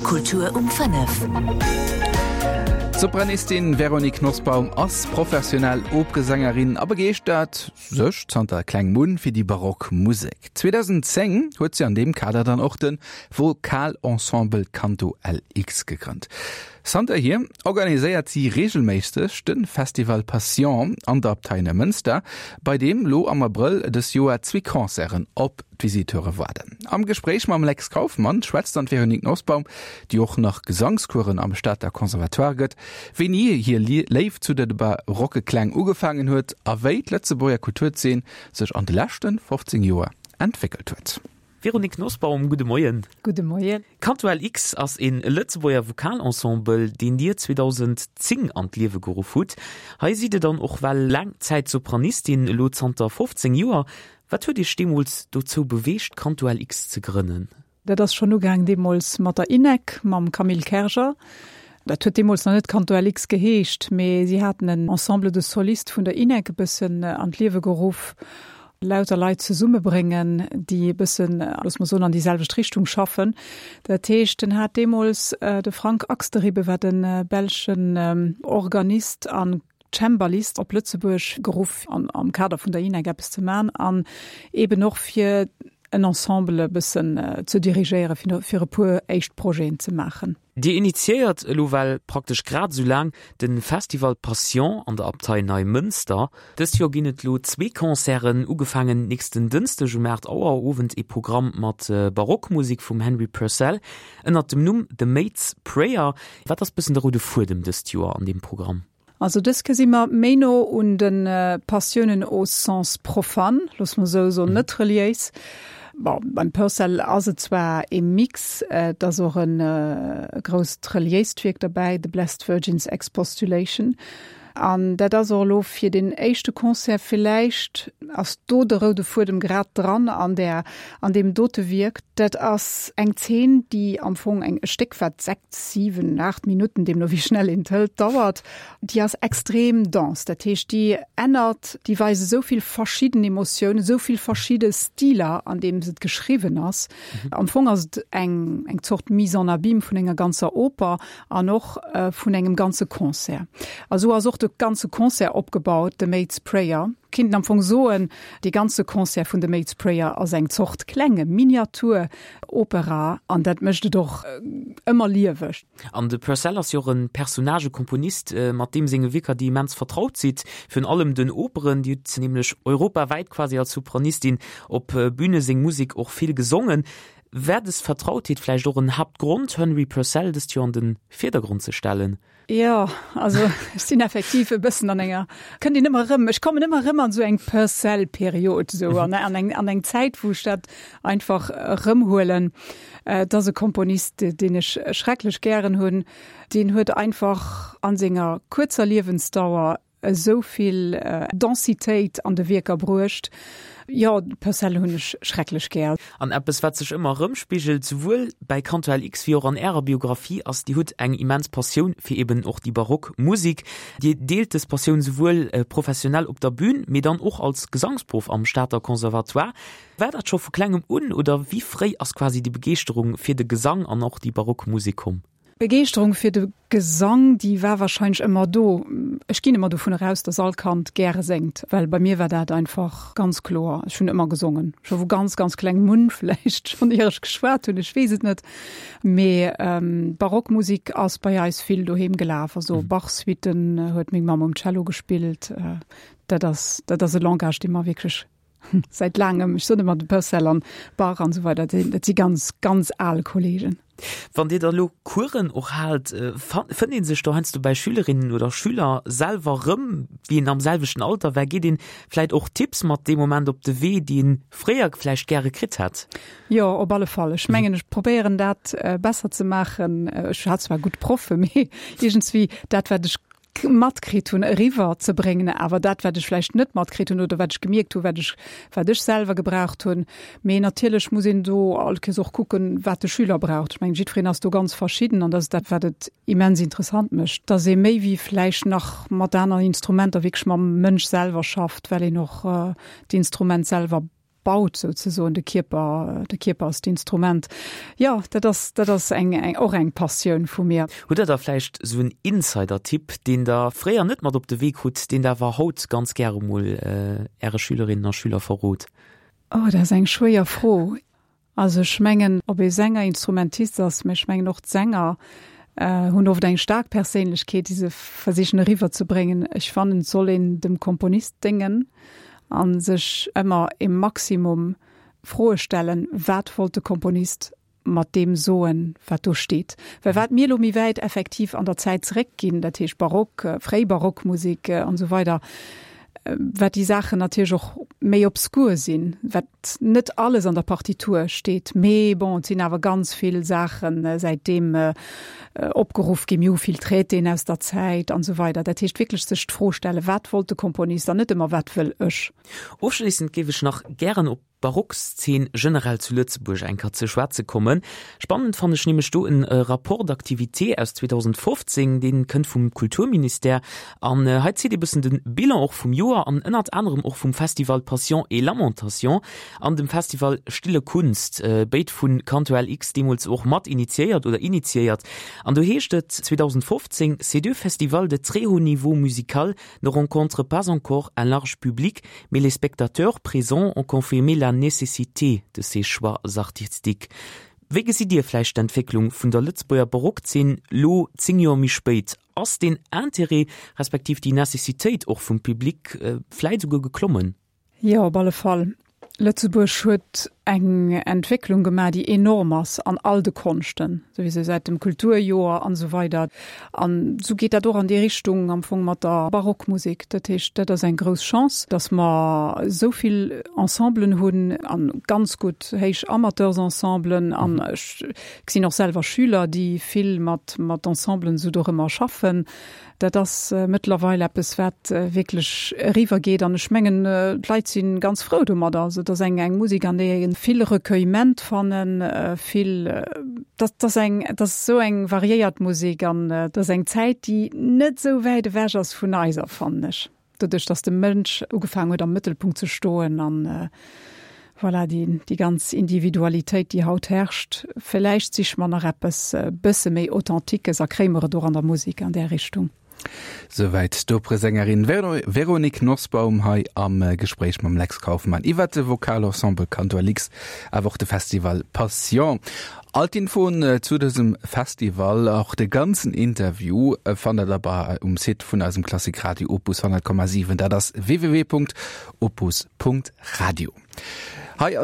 Kultur um 5. D'Sopranistin Véronique Nosbaum ass professionell Operesängerin a begeeschtert sech zanter klengem un fir déi barock Musek. 2010 huet si an deem Kader dann och de Vokalensemble Canto LX gegrënnt. Zanterhier organiséiert si reegelméisseg de Festival Passion an der Abtei Neimënster, bei deem lo am Abrëll dës Joer zwee Concerten op d'Visiteure waarden. Am Gespréich mam Lex Kauffmann schwätzt dann d'Véronique Nosbaum, déi och nach Gesangskueren am Stater Conservatoire gëtt, wéini hir Léift zu de barocke Kläng ugefaangen huet a wéi d'Lëtzebuerger Kulturzeen sech an de leschte 15 Joer entwéckelt huet. Véronique Nosbaum, gudde Moien. Gudde Moien. Canto LX ass e Lëtzebuerger Vokalensemble, deen Dir 2010 an d'Liewe geruff hutt. Hei sidd Dir dann och well laang Zäit Sopranistin, elo zanter 15 Joer. Wat huet Iech deemools dozou beweegt, Canto LX ze grënnen? Dat ass schonn ugaang deemools mat der INEC, mam Camille Kerger. Dat huet deemools nach net Canto LX geheescht, mee si haten en Ensemble de solistes vun der INEC e bëssen an d'Liewe geruff. Lauter Leit zesummebréngen, déi e bëssen, loosse mer soen, an déi selwecht Richtung schaffen. Dat heescht, en hat deemools de Frank Axteribbe, war de belschen Organist a Cembalist, op Lëtzebuerg geruff, am Kader vun der INEC eppes ze man an eeben och fir en Ensemble e bëssen ze dirigéieren, fir e puer éischt Projeten ze maachen. Dir initiéiert elo well praktesch grad esou laang de Festival Passion an der Abtei Neimënster. Dëst Joer ginn et elo zwee Concerten, ugefaangen nächsten Dënschdeg um 8 Auer Owend ee Programm mat Barockmusek vum Henry Purcell ënnert dem Numm The Maid's Prayer. Wat ass bëssen de roude Fuedem dëst Joer an deem Programm? Also dës Kéier si mer méi no un de Passiounen au sens profane, loosse mer esou soen, net reliéis. Bon, beim Purcell ass et zwar ee Mix, et ass och e grousst reliéist Wierk derbäi, The Blessed Virgin's Expostulation. An dat ass och elo fir deen éischte Concert, villäicht ass do de roude Fuedem grad dran an där, an deem dote Wierk. Dat ass eng Zeen, déi am Fong eng, e Stéck wat 6, 7, 8 Minutten, deemno wéi schnell een et hëlt, dauert. Déi ass extrem dense, dat heescht déi ännert, déi weist esou vill verschidden Emotiounen, esou vill verschidde Stiler, an deem se geschriwwen ass. Am Fong ass et eng, eng Zort Mise en abyme vun enger ganzer Oper an och vun engem ganze Concert. A sou ass och de ganze Concert opgebaut, The Maid's Prayer. Kinnten am Fong soen, dee ganze Concert vun The Maid's Prayer ass eng Zort klenge Miniatur Opera, an dat mécht et och ëmmer lieweg. An de Purcell ass jo och e Personnagekomponist, mat deem senge Wierker Dir immens vertraut sidd, virun allem den Operen. Dir hutt nämlech europawäit quasi als Sopranistin op Büne seng Musek och vill gesongen. War des Vertrautheet vläicht och en Haaptgrond, Henry Purcell dëst Joer an de Virdergrond ze stellen? Jo, also ech sinn effektiv e bëssen an enger, kënnt een ëmmer erëm, ech kommen ëmmer erëm an esou eng Purcell-Period esou an an eng an eng Zäit, wou ech dat einfach erëmhuelen. Et ass e Komponist, deen ech schrecklech gären hunn. Deen huet einfach a senger kuerzer Liewensdauer esou vill Densitéit an de Wierker bruecht. Jo, Purcell hunn ech schrecklech gär. An eppes, wat sech ëmmer erëmspigelt, souwuel bäi Canto LX wéi och an Ärer Biographie, ass, Dir hutt eng immens Passioun fir eben och déi barock Musik. Dir deelt dës Passioun souwuel professionell op der Bün, mee dann och als Gesangsproff am Stater Conservatoire. War dat scho vu klengem un oder wéi fréi ass quasi déi Begeeschterung fir de Gesang an och déi barock Musek komm? D'Begeeschterung fir de Gesang, déi war wahrscheinlech ëmmer do. Ech ginn ëmmer dovun eraus, dass all Kand gäre séngt, well bei mir war dat einfach ganz kloer. Ech hunn ëmmer gesongen, scho vu ganz, ganz klengem un, vläicht schonn ier ech geschwat hunn, ech weess et net. Mee Barockmusik ass bei eis vill doheem gelaf, also Bach-Suiten huet meng Mamm um Cello gespillt. Dat ass, dat ass e Langage, dee mer wierklech Säit laangem, ech soen ëmmer de Purcell an Bach an esou weider, dat si ganz, ganz al Kollegen. Wann Dir da lo Coursen och haalt, fënnt ee sech do heiansdo bäi Schülerinnen oder Schüler selwer erëm, wéi een am selwechten Alter war? Geet een vläit och Tipps mat dee Moment op de Wee, déi een fréier vläicht gäre kritt hätt? Jo, op alle Fall. Ech mengen, ech probéieren dat besser ze maachen. Ech hat zwar gutt Proffe, mee iergendswéi dat, wat ech matkritt hunn, eriwwer ze bréngen, awer dat, wat ech vläicht net matkritt hunn oder wat ech gemierkt hunn, wat ech, wat ech selwer gebraucht hunn. Mee natierlech muss een do all Kéiers och kucken, wat de Schüler braucht. Ech mengen, jiddwereen ass do ganz verschidden an dat ass dat, wat et immens interessant mécht, dass ee méi wéi vläicht nach mat aneren Instrumenter wierklech mam Mënsch selwer schafft, well een och d'Instrument selwer. baut souzesoen, de Kierper, de Kierper ass d'Instrument. Jo, dat ass, dat ass eng, eng, och eng Passioun vu mir. Hutt Der da vläicht esou en Insider-Tipp, deen Der fréier net mat op de Wee krut, deen Der awer haut ganz gäre mol Äre Schülerinnen a Schüler verrot? Oh, dat ass eng schwéier Fro. Also ech mengen, ob ee Sänger, Instrumentist ass, mä ech mengen och d'Sänger hunn oft eng staark Perséinlechkeet, déi se versichen eriwwer ze bréngen. Ech fannen, et soll een dem Komponist déngen a sech ëmmer e Maximum Froe stellen, Wat wollt de Komponist mat deem soen, wat do steet? Well wat mir elo méi wäit effektiv an der Zäit zeréckginn, dat heescht Barock, fréi Barockmusek an esou weider, wat déi Saachen natierlech och méi obskur sinn, wat net alles an der Partitur steet, mee bon, et sinn awer ganz vill Saachen säitdeem opgeruff ginn. Mir hu vill Traitéen aus der Zäit an esou weider. Dat heescht wierklech sech d'Fro stellen, wat wollt de Komponist an net ëmmer, wat wëll ech. Ofschléissend géif ech nach gären op d'Barockszeen generell zu Lëtzebuerg eng Kéier ze schwätze kommen. Spannend fannen ech nämlech do en Rapport d'activité aus 2015, dee kënnt vum Kulturministère an hei zitt ee bëssen de Bilan och vum Joer an ënnert anerem och vum Festival Passion et Lamentation an dem Festival Stille Kunst, béid vu Canto LX deemools och mat initiéiert oder initiéiert. An do heescht et 2015, Ces deux festivals de très haut niveau musical ne rencontrent pas encore un large public, mais les spectateurs présents ont confirmé la nécessité de ces choix artistiques. Wéi gesitt Dir vläicht d'Entwécklung vun der Lëtzebuerger Barockzeen lo 10 Joer méi spéit? Ass deen Intérêt respektiv déi Necessitéit och vum Public vläit esouguer geklommen? Jo, op alle Fall. Lëtzebuerg huet eng Entwécklung gemaach, déi enorm ass an all de Konschten, souwisou säit dem Kulturjoer an esou weider. An esou geet dat och an déi Richtung am Fong mat der Barockmusek. Dat heescht, dat ass eng grouss Chance, datt mer esou vill Ensemblen hunn a ganz gutt héich Amateursensemblen. An ech gesinn och selwer Schüler, déi vill mat Ensemblen esou dorëmmer schaffen. Dat ass mëttlerweil eppes, wat wierklech eriwwer geet. An ech mengen, d'Leit si ganz frou domadder. Also et ass eng eng Musek, an där ee vill Recueillement fannen, vill, dat ass eng, et ass esou eng variéiert Musek an et ass eng Zäit, déi net esou wäit ewech ass vun eiser, fannen ech. Doduerch, datt de Mënsch ugefaangen huet, am Mëttelpunkt ze stoen an voilà, déi, déi ganz Individualitéit, déi haut herrscht. Villäicht siche mer nach eppes e bësse méi Authentiques a kréie mer et och an der Musek an där Richtung. Souwäit d'Operesängerin Véronique Nosbaum hei am Gespréich mam Lex Kauffmann iwwert de Vokalensemble Cantor Lix, awer och de Festival Passion. All d'Infoen zu dësem Festival, och de ganzen Interview, fannt der bei um Site vun eisem Klassik Radio Opus 100,7. Dat ass www.opus.radio. Hei ass.